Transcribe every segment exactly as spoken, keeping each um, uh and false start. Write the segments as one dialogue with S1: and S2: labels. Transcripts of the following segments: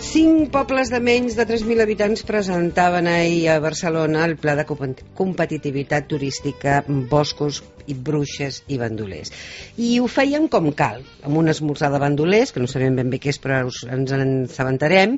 S1: Cinc pobles de menys de tres mil habitants presentaven ahir a Barcelona el pla de competitivitat turística Boscos i Bruixes i Bandolers. I ho feien com cal, amb un esmorzar de bandolers, que no sabem ben bé què és, però ens en assabentarem,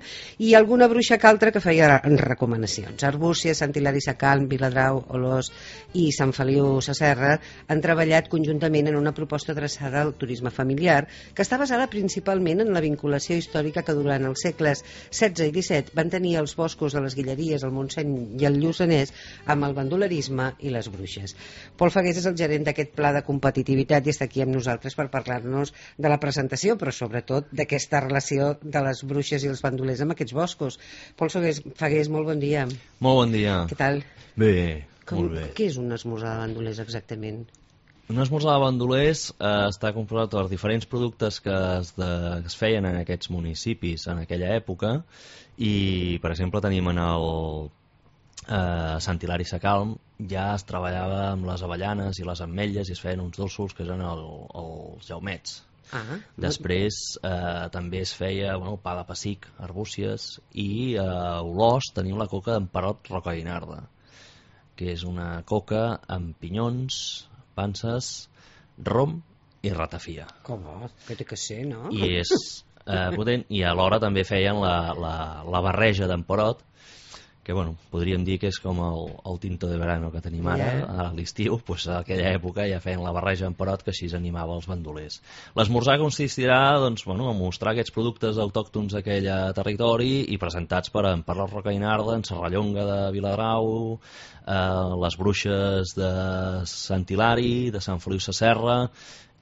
S1: i alguna bruixa que altra que feia recomanacions. Arbúcies, Sant Hilari Sacalm, Viladrau, Olós i Sant Feliu Sasserra han treballat conjuntament en una proposta adreçada al turisme familiar, que està basada principalment en la vinculació històrica que durant els segles setze i disset van tenir els boscos de les Guilleries, el Montseny i el Lluçanès amb el bandolerisme i les bruixes. Pol Fagués és el gerent d'aquest pla de competitivitat i està aquí amb nosaltres per parlar-nos de la presentació, però sobretot d'aquesta relació de les bruixes i els bandolers amb aquests boscos. Pol Fagués, Fagués, molt bon dia.
S2: Molt bon dia.
S1: Què tal?
S2: Bé,
S1: Com,
S2: molt bé.
S1: Què és un esmorzar de bandolers exactament?
S2: Un esmorzar de bandolers eh, està composat per diferents productes que es, de, que es feien en aquests municipis en aquella època i, per exemple, tenim en el eh, Sant Hilari Sacalm ja es treballava amb les avellanes i les ametlles i es feien uns dolços que eren el, els jaumets.
S1: Ah,
S2: Després eh, també es feia bueno, pa de pessic, arbúcies i a eh, Olós tenim la coca d'Emperot Rocaguinarda, que és una coca amb pinyons, panses, rom i ratafia.
S1: com va? Que té que ser, no?
S2: I és eh, potent, i alhora també feien la, la, la barreja d'Emperot, que bueno, podríem dir que és com el, el tinto de verano que tenim ara,
S1: Yeah.
S2: a l'estiu, pues, a aquella època ja feien la barreja d'Emperot que així animava els bandolers. L'esmorzar consistirà doncs, bueno, a mostrar aquests productes autòctons d'aquell territori i presentats per en Emperot Rocaguinarda, en Serrallonga de Viladrau, eh, les bruixes de Sant Hilari, de Sant Feliu Sasserra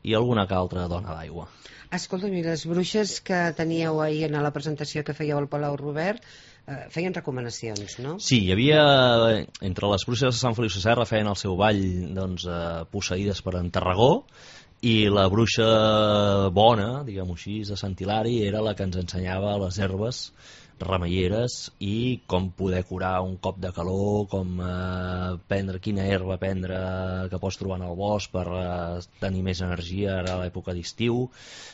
S2: i alguna que altra dona d'aigua.
S1: Escolta'm, i les bruixes que teníeu ahir a la presentació que fèieu al Palau Robert eh, feien recomanacions, no?
S2: Sí, hi havia, entre les bruixes de Sant Feliu Sasserra feien el seu ball doncs, eh, posseïdes per en Tarragó, i la bruixa bona, diguem-ho així, de Sant Hilari era la que ens ensenyava les herbes remeieres i com poder curar un cop de calor, com eh, prendre, quina herba prendre que pots trobar en el bosc per eh, tenir més energia ara a l'època d'estiu,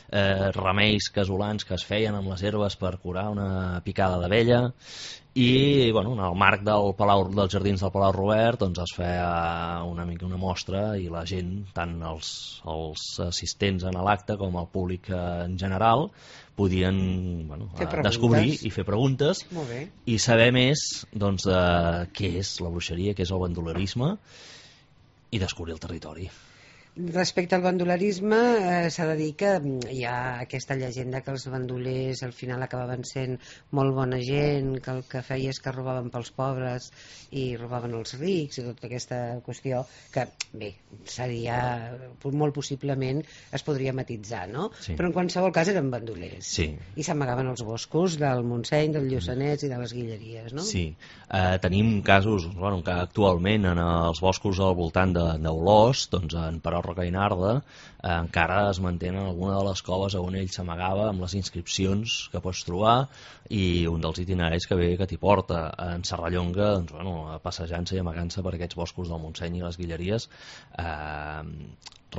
S2: eh, remeis casolans que es feien amb les herbes per curar una picada d'abella. I bueno, en el marc del Palau, dels jardins del Palau Robert doncs es feia una mica una mostra i la gent, tant els, els assistents en l'acte com el públic en general, podien bueno, descobrir i fer preguntes i saber més doncs, de què és la bruixeria, què és el bandolerisme i descobrir el territori.
S1: Respecte al bandolerisme, eh, s'ha de dir que hi ha aquesta llegenda que els bandolers al final acabaven sent molt bona gent, que el que feia és que robaven pels pobres i robaven els rics i tota aquesta qüestió que, bé, seria molt possiblement es podria matitzar, no?
S2: Sí.
S1: Però en qualsevol cas eren bandolers.
S2: Sí.
S1: I s'amagaven als boscos del Montseny, del Lluçanès i de les Guilleries, no?
S2: Sí. Eh, tenim casos, bueno, que actualment en els boscos al voltant d'Olós, doncs en Emperot Rocaguinarda eh, encara es mantenen alguna de les coves on ell s'amagava amb les inscripcions que pots trobar i un dels itineraris que ve que t'hi porta en Serrallonga, doncs, bueno, passejant-se i amagant-se per aquests boscos del Montseny i les Guilleries eh,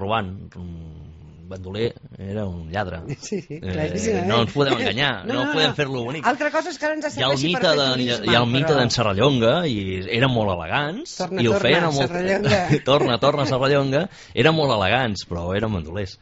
S2: robant. Un bandoler era un lladre.
S1: Sí, sí,
S2: eh, no ens podem enganyar, no, no, no podem fer-lo bonic.
S1: Altra cosa és que ara ens serveixi per fer turisme.
S2: Hi ha el mite
S1: però...
S2: d'en Serrallonga i eren molt elegants
S1: torna,
S2: i ho
S1: torna,
S2: feien molt...
S1: Serrallonga.
S2: torna, torna Serrallonga, eren molt elegants però eren bandolers.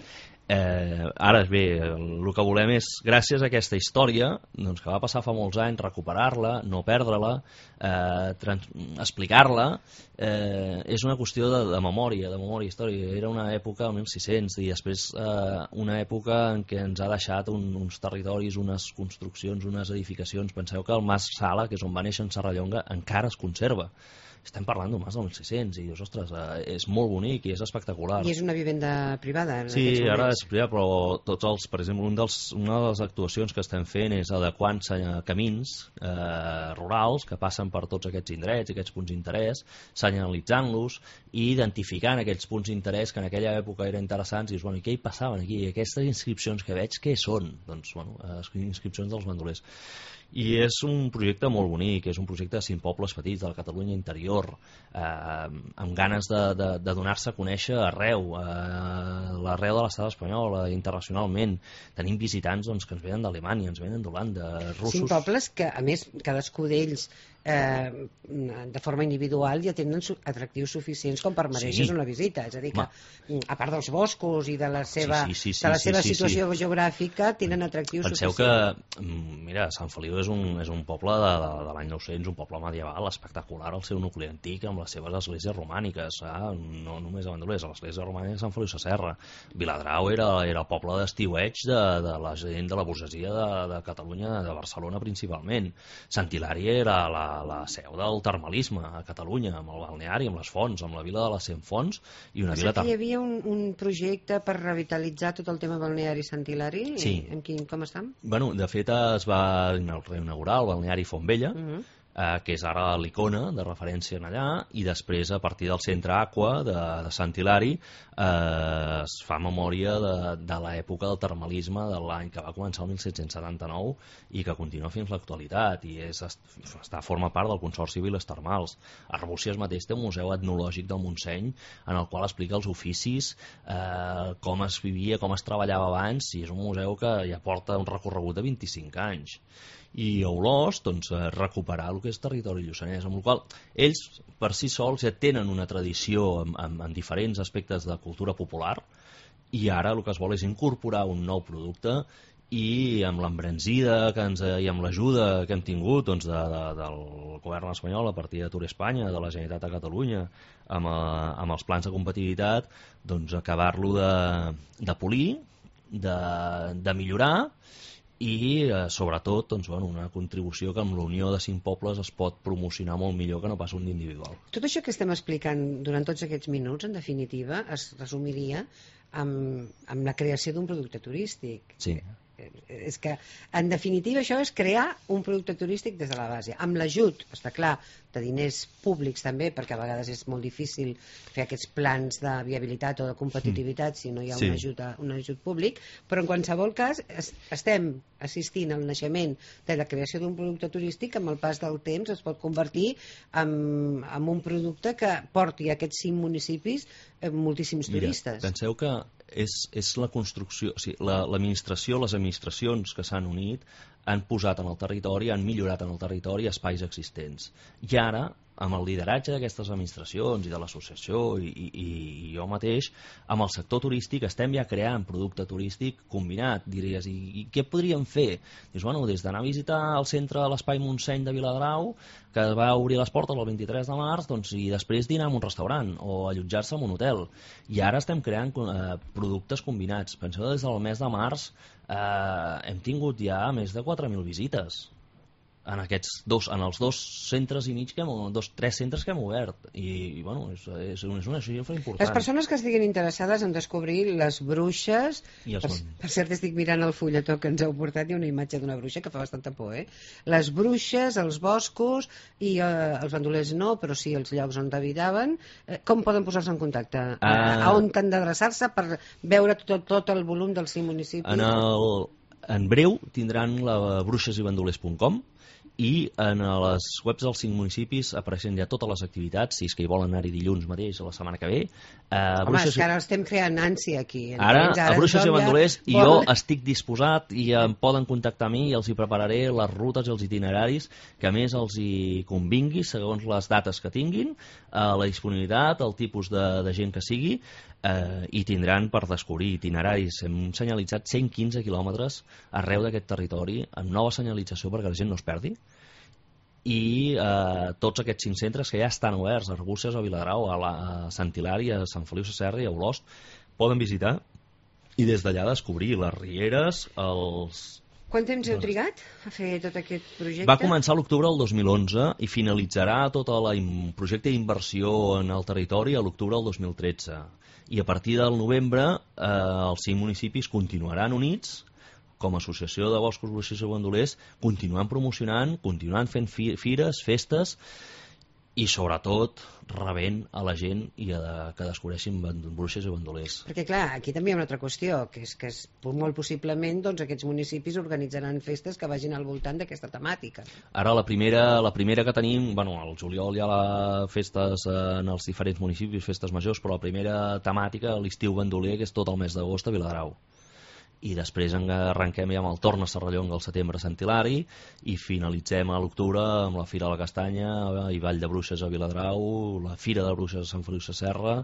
S2: Eh, ara bé, el que volem és, gràcies a aquesta història doncs, que va passar fa molts anys, recuperar-la, no perdre-la, eh, trans- explicar-la, eh, és una qüestió de, de memòria, de memòria històrica. Era una època, el mil sis-cents, i després eh, una època en què ens ha deixat un, uns territoris, unes construccions, unes edificacions. Penseu que el Mas Sala, que és on va néixer en Serrallonga, encara es conserva. Estem parlant d'un mas del mil sis-cents i dius, ostres, eh, és molt bonic i és espectacular.
S1: I és una vivenda privada en
S2: Sí,
S1: aquests
S2: ara
S1: moments.
S2: és privat, però tots els, per exemple, un dels, una de les actuacions que estem fent és adequant camins eh, rurals que passen per tots aquests indrets, aquests punts d'interès, senyalitzant-los i identificant aquells punts d'interès que en aquella època eren interessants i dius, bueno, i què hi passaven aquí? I aquestes inscripcions que veig, què són? Doncs, bueno, eh, inscripcions dels bandolers. I és un projecte molt bonic, és un projecte de cinc pobles petits de la Catalunya interior, exterior, eh, amb ganes de, de, de donar-se a conèixer arreu, eh, l'arreu de l'estat espanyol, eh, internacionalment. Tenim visitants doncs, que ens venen d'Alemanya, ens venen d'Holanda, russos...
S1: Cinc pobles que, a més, cadascú d'ells eh, de forma individual ja tenen su atractius suficients com per mereixer sí. una visita. És a dir, que Ma. a part dels boscos i de la seva,
S2: sí, sí, sí,
S1: de la
S2: sí,
S1: seva
S2: sí,
S1: situació
S2: sí.
S1: geogràfica tenen atractius
S2: Penseu
S1: suficients.
S2: Penseu que, mira, Sant Feliu és un, és un poble de, de, de l'any nou-cents, un poble medieval espectacular, el seu nucli antic, amb les seves esglésies romàniques, eh? no només a Bandolers, l'església romànica de Sant Feliu Sasserra. Viladrau era, era el poble d'estiueig de, de la gent de la burgesia de, de Catalunya, de Barcelona principalment. Sant Hilari era la, la seu del el termalisme a Catalunya, amb el balneari, amb les fonts, amb la vila de les cent fonts i una
S1: o
S2: vila...
S1: sigui, hi havia un, un projecte per revitalitzar tot el tema balneari Sant Hilari?
S2: Sí.
S1: En quin, com estan?
S2: Bueno, de fet es va reinaugurar el balneari Fontvella, uh -huh. eh, que és ara l'icona de referència en allà, i després a partir del centre Aqua de, de Sant Hilari eh, es fa memòria de, de l'època del termalisme de l'any que va començar el mil set-cents setanta-nou i que continua fins l'actualitat i és, està, forma part del Consorci Viles Termals. Arbúcies mateix té un museu etnològic del Montseny en el qual explica els oficis, eh, com es vivia, com es treballava abans, i és un museu que ja porta un recorregut de vint-i-cinc anys. I a Olost, doncs, recuperar el que és territori lluçanès, amb el qual ells per si sols ja tenen una tradició en, en, en diferents aspectes de cultura popular i ara el que es vol és incorporar un nou producte i amb l'embranzida que ens, i amb l'ajuda que hem tingut doncs, de, de, del govern espanyol a partir de Tour Espanya, de la Generalitat de Catalunya, amb, a, amb els plans de competitivitat, doncs acabar-lo de, de polir, de, de millorar i eh, sobretot doncs, bueno, una contribució que amb la unió de cinc pobles es pot promocionar molt millor que no pas un individual.
S1: Tot això que estem explicant durant tots aquests minuts, en definitiva, es resumiria amb, amb la creació d'un producte turístic.
S2: Sí.
S1: És que, en definitiva, això és crear un producte turístic des de la base, amb l'ajut, està clar, de diners públics també, perquè a vegades és molt difícil fer aquests plans de viabilitat o de competitivitat si no hi ha sí. un, ajut, un ajut públic, però en qualsevol cas es, estem assistint al naixement de la creació d'un producte turístic que amb el pas del temps es pot convertir en, en un producte que porti a aquests cinc municipis eh, moltíssims
S2: Mira,
S1: turistes.
S2: Penseu que és, és la construcció, o sigui, l'administració, la, les administracions que s'han unit han posat en el territori, han millorat en el territori espais existents. I ara, amb el lideratge d'aquestes administracions i de l'associació i, i, i jo mateix, amb el sector turístic estem ja creant producte turístic combinat, diries, i, i què podríem fer? Dius, bueno, des d'anar a visitar el centre de l'Espai Montseny de Viladrau, que va obrir les portes el vint-i-tres de març, doncs, i després dinar en un restaurant o allotjar-se en un hotel. I ara estem creant eh, productes combinats. Penseu, des del mes de març eh, hem tingut ja més de quatre mil visites en aquests dos, en els dos centres i mig que hem, dos, tres centres que hem obert i, i bueno, és, és, és una xifra important.
S1: Les persones que estiguin interessades en descobrir les bruixes, per, per cert estic mirant el fulletó que ens heu portat, hi ha una imatge d'una bruixa que fa bastanta por, eh? Les bruixes, els boscos i eh, els bandolers no, però sí els llocs on habitaven, eh, com poden posar-se en contacte? Ah. A on han d'adreçar-se per veure tot, tot el volum dels cinc municipis?
S2: En, el, en breu tindran la bruixes i bandolers punt com i en les webs dels cinc municipis apareixen ja totes les activitats, si és que hi volen anar-hi dilluns mateix a la setmana que ve. Eh,
S1: Home,
S2: Bruixes...
S1: és que ara estem creant ànsia aquí.
S2: Ara, ara, a Bruixes i Bandolers,
S1: ja...
S2: i jo estic disposat i em poden contactar a mi i els hi prepararé les rutes i els itineraris que a més els hi convingui segons les dates que tinguin, eh, la disponibilitat, el tipus de, de gent que sigui, eh, i tindran per descobrir itineraris. Hem senyalitzat cent quinze quilòmetres arreu d'aquest territori amb nova senyalització perquè la gent no es perdi, i eh, tots aquests cinc centres que ja estan oberts, a Arbúcies, a Viladrau, a, la, a Sant Hilari, a Sant Feliu Sasserra i a Olost, poden visitar i des d'allà descobrir les rieres, els...
S1: Quant temps heu trigat a fer tot aquest projecte?
S2: Va començar a l'octubre del dos mil onze i finalitzarà tot el projecte d'inversió en el territori a l'octubre del dos mil tretze. I a partir del novembre eh, els cinc municipis continuaran units com a associació de boscos, bruixes i bandolers, continuant promocionant, continuant fent fi fires, festes, i sobretot rebent a la gent i a que descobreixin bruixes i bandolers.
S1: Perquè clar, aquí també hi ha una altra qüestió, que és que es, molt possiblement doncs, aquests municipis organitzaran festes que vagin al voltant d'aquesta temàtica.
S2: Ara la primera, la primera que tenim, bueno, al juliol hi ha la festes en els diferents municipis, festes majors, però la primera temàtica, l'estiu bandoler, que és tot el mes d'agost a Viladrau. I després arrenquem ja amb el Torn a Serrallonga al setembre a Sant Hilari i finalitzem a l'octubre amb la Fira de la Castanya i Vall de Bruixes a Viladrau, la Fira de Bruixes a Sant Feliu Sasserra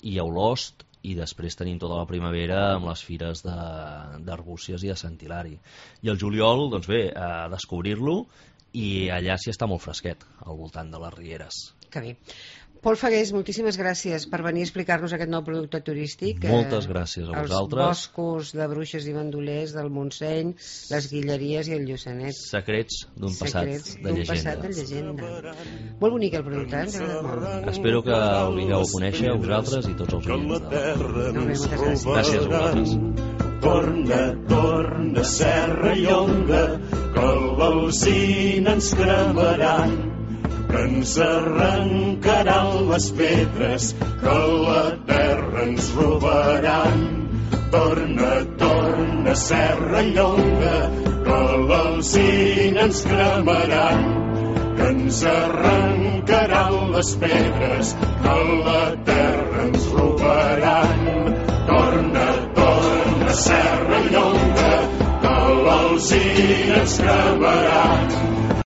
S2: i a Olost, i després tenim tota la primavera amb les fires d'Arbúcies i de Sant Hilari. I el juliol, doncs bé, a descobrir-lo, i allà sí està molt fresquet, al voltant de les Rieres.
S1: Que bé. Pol Fagués, moltíssimes gràcies per venir a explicar-nos aquest nou producte turístic.
S2: Moltes gràcies a vosaltres.
S1: Els boscos de bruixes i bandolers del Montseny, les Guilleries i el Lluçanet.
S2: Secrets d'un passat de llegenda.
S1: passat de llegenda. Molt bonic el producte, ens ha agradat molt.
S2: Espero que el vingueu a conèixer a vosaltres i tots els oients.
S1: Molt bé, moltes gràcies.
S2: Gràcies a vosaltres.
S3: Torna, torna, Serrallonga, que l'alzina ens cremaran, que ens arrencaran les pedres, que la terra ens robaran. Torna, torna, Serrallonga, que l'alzina ens cremaran, que ens arrencaran les pedres, que la terra ens robaran. Torna, torna, Serrallonga, que l'alzina ens cremaran,